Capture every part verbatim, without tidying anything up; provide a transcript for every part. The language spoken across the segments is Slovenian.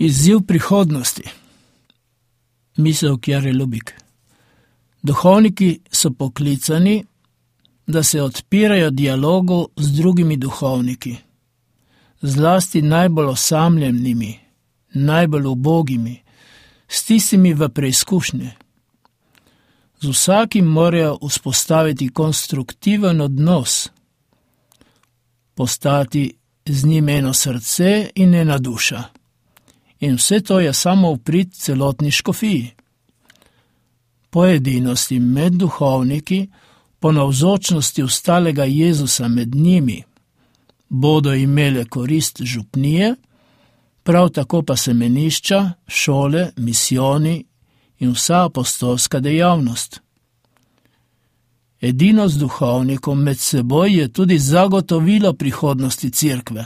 Izziv prihodnosti. Misel Kjare Lubik. Duhovniki so poklicani, da se odpirajo dialogu z drugimi duhovniki, zlasti najbolj osamljenimi, najbolj ubogimi, s tistimi v preizkušnje. Z vsakim morajo vzpostaviti konstruktiven odnos, postati z njim eno srce in ena duša. In vse to je samo v prid celotni škofiji. Po edinosti med duhovniki, po navzočnosti ostalega Jezusa med njimi, bodo imele korist župnije, prav tako pa semenišča, šole, misijoni in vsa apostolska dejavnost. Edinost duhovnikov med seboj je tudi zagotovilo prihodnosti cerkve.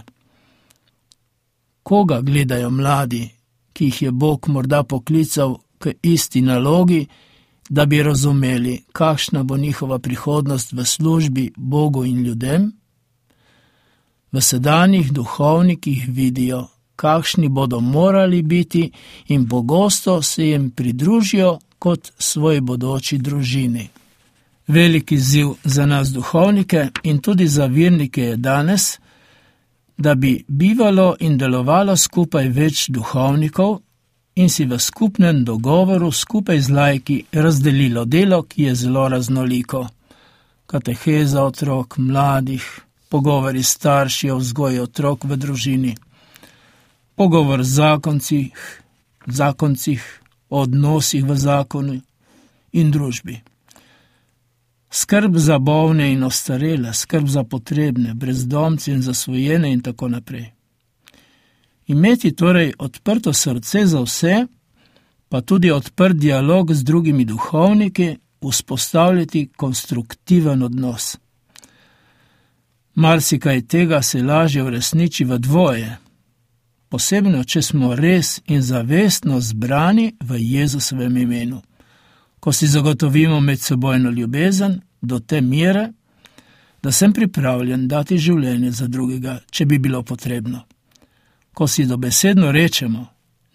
Koga gledajo mladi, ki jih je Bog morda poklical k isti nalogi, da bi razumeli, kakšna bo njihova prihodnost v službi Bogu in ljudem? V sedanjih duhovnikih vidijo, kakšni bodo morali biti in pogosto se jim pridružijo kot svoji bodoči družini. Veliki izziv za nas duhovnike in tudi za vernike je danes, da bi bivalo in delovalo skupaj več duhovnikov in si v skupnem dogovoru skupaj z laiki razdelilo delo, ki je zelo raznoliko. Kateheza otrok, mladih, pogovori s starši o vzgoji otrok v družini, pogovor z zakoncih, zakoncih, o odnosih v zakonu in družbi. Skrb za bolne in ostarele, skrb za potrebne, brezdomce in zasvojene in tako naprej. Imeti torej odprto srce za vse, pa tudi odprt dialog z drugimi duhovniki, vzpostavljati konstruktiven odnos. Marsikaj tega se lažje uresniči v dvoje, posebno, če smo res in zavestno zbrani v Jezusovem imenu. Ko si zagotovimo medsebojno ljubezen do te mere, da sem pripravljen dati življenje za drugega, če bi bilo potrebno. Ko si dobesedno rečemo,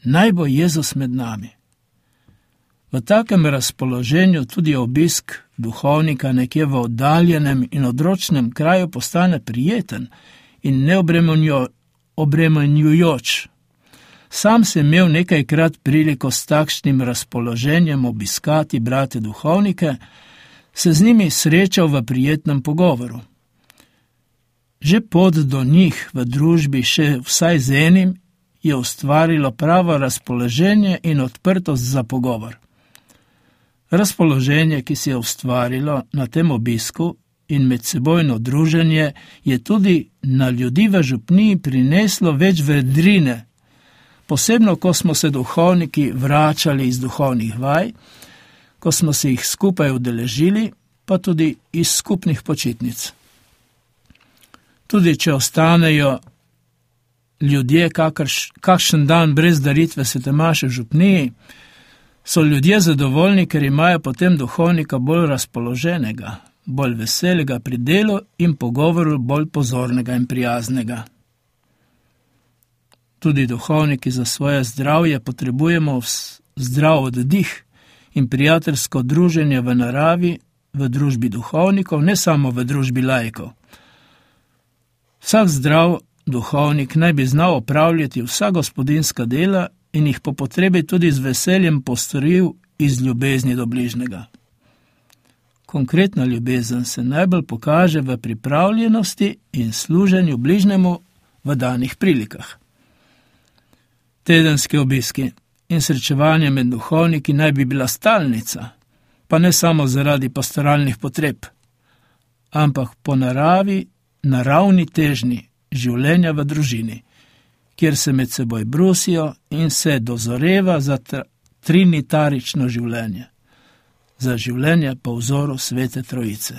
naj bo Jezus med nami. V takem razpoloženju tudi obisk duhovnika nekje v oddaljenem in odročnem kraju postane prijeten in neobremenjujoč. Sam sem imel nekajkrat priliko s takšnim razpoloženjem obiskati brate duhovnike, se z njimi srečal v prijetnem pogovoru. Že pot do njih v družbi še vsaj z enim je ustvarilo pravo razpoloženje in odprtost za pogovor. Razpoloženje, ki se je ustvarilo na tem obisku in medsebojno druženje, je tudi na ljudi v župniji prineslo več vedrine, posebno, ko smo se duhovniki vračali iz duhovnih vaj, ko smo se jih skupaj udeležili, pa tudi iz skupnih počitnic. Tudi če ostanejo ljudje kakrš, kakšen dan brez daritve svete maše v župniji, so ljudje zadovoljni, ker imajo potem duhovnika bolj razpoloženega, bolj veselega pri delu in pogovoru bolj pozornega in prijaznega. Tudi duhovniki za svoje zdravje potrebujemo zdrav oddih in prijateljsko druženje v naravi, v družbi duhovnikov, ne samo v družbi laikov. Vsak zdrav duhovnik naj bi znal opravljati vsa gospodinjska dela in jih po potrebi tudi z veseljem postoril iz ljubezni do bližnjega. Konkretna ljubezen se najbolj pokaže v pripravljenosti in služenju bližnjemu v danih prilikah. Tedenski obiski in srečevanje med duhovniki naj bi bila stalnica, pa ne samo zaradi pastoralnih potreb, ampak po naravi, naravni težnji življenja v družini, kjer se med seboj brusijo in se dozoreva za trinitarično življenje, za življenje po vzoru Svete Trojice.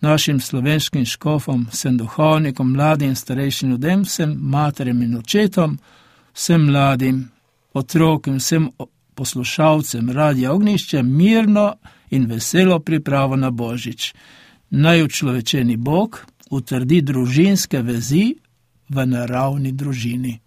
Našim slovenškim škofom, vsem duhovnikom, mladim in starejšim ljudem, vsem materjem in očetom, vsem mladim, otrokom, vsem poslušalcem Radia Ognjišče mirno in veselo pripravo na Božič. Naj učlovečeni Bog utrdi družinske vezi v naravni družini.